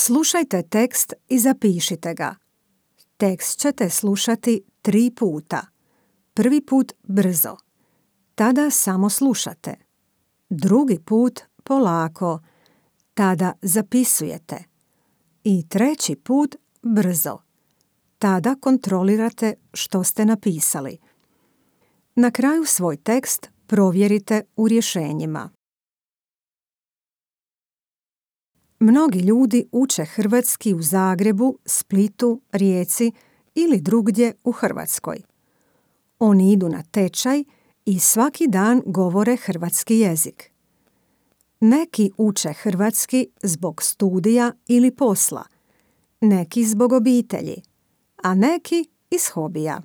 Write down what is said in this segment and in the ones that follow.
Slušajte tekst i zapišite ga. Tekst ćete slušati 3 puta. Prvi put brzo. Tada samo slušate. Drugi put polako. Tada zapisujete. I treći put brzo. Tada kontrolirate što ste napisali. Na kraju svoj tekst provjerite u rješenjima. Mnogi ljudi uče hrvatski u Zagrebu, Splitu, Rijeci ili drugdje u Hrvatskoj. Oni idu na tečaj i svaki dan govore hrvatski jezik. Neki uče hrvatski zbog studija ili posla, neki zbog obitelji, a neki iz hobija.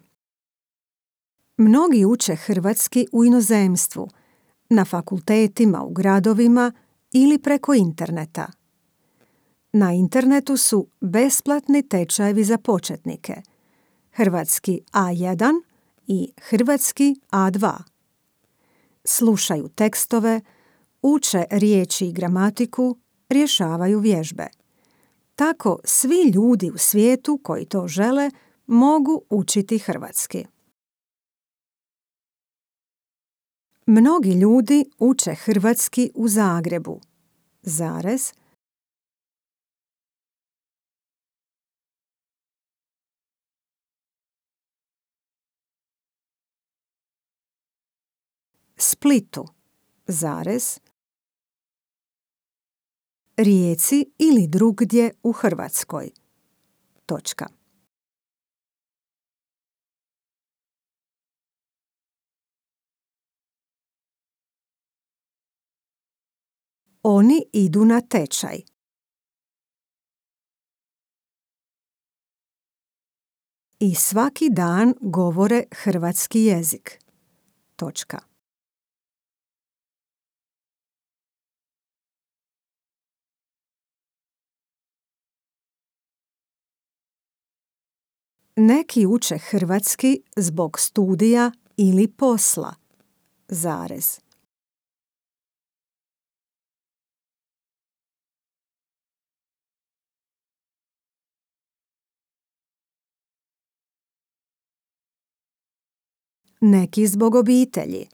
Mnogi uče hrvatski u inozemstvu, na fakultetima u gradovima ili preko interneta. Na internetu su besplatni tečajevi za početnike, hrvatski A1 i hrvatski A2. Slušaju tekstove, uče riječi i gramatiku, rješavaju vježbe. Tako svi ljudi u svijetu koji to žele mogu učiti hrvatski. Mnogi ljudi uče hrvatski u Zagrebu, Splitu, Rijeci ili drugdje u Hrvatskoj. Oni idu na tečaj. I svaki dan govore hrvatski jezik. Neki uče hrvatski zbog studija ili posla, Neki zbog obitelji,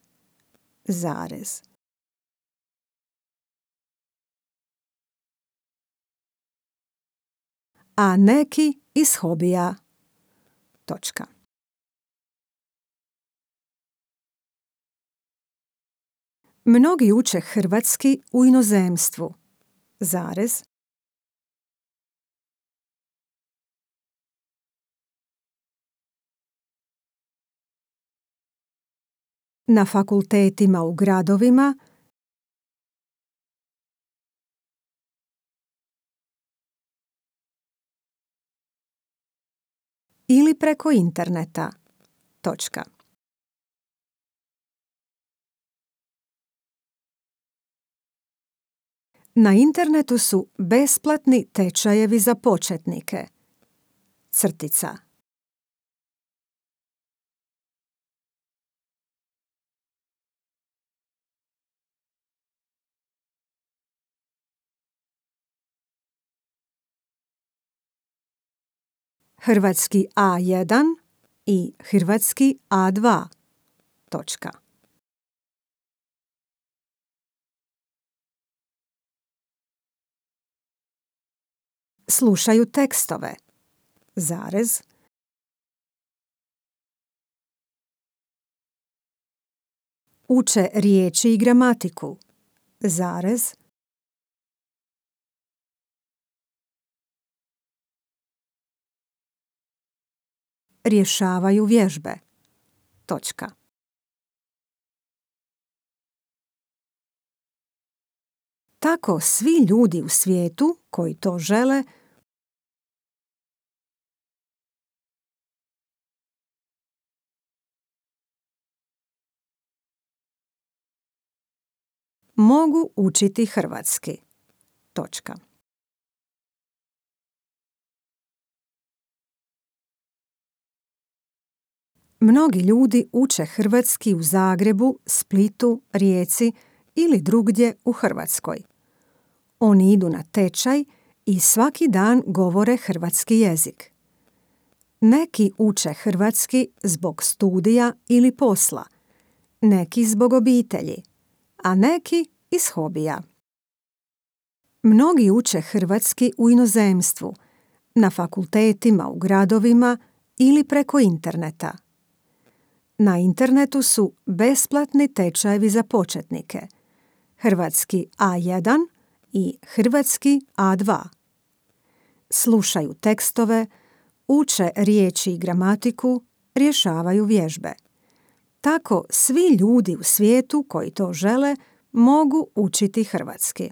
A neki iz hobija, Mnogi uče hrvatski u inozemstvu, Na fakultetima u gradovima ili preko interneta. Na internetu su besplatni tečajevi za početnike. Hrvatski A1 i hrvatski A2. Slušaju tekstove, uče riječi i gramatiku, rješavaju vježbe. Tako svi ljudi u svijetu koji to žele mogu učiti hrvatski. Mnogi ljudi uče hrvatski u Zagrebu, Splitu, Rijeci ili drugdje u Hrvatskoj. Oni idu na tečaj i svaki dan govore hrvatski jezik. Neki uče hrvatski zbog studija ili posla, neki zbog obitelji, a neki iz hobija. Mnogi uče hrvatski u inozemstvu, na fakultetima u gradovima ili preko interneta. Na internetu su besplatni tečajevi za početnike, hrvatski A1 i hrvatski A2. Slušaju tekstove, uče riječi i gramatiku, rješavaju vježbe. Tako svi ljudi u svijetu koji to žele mogu učiti hrvatski.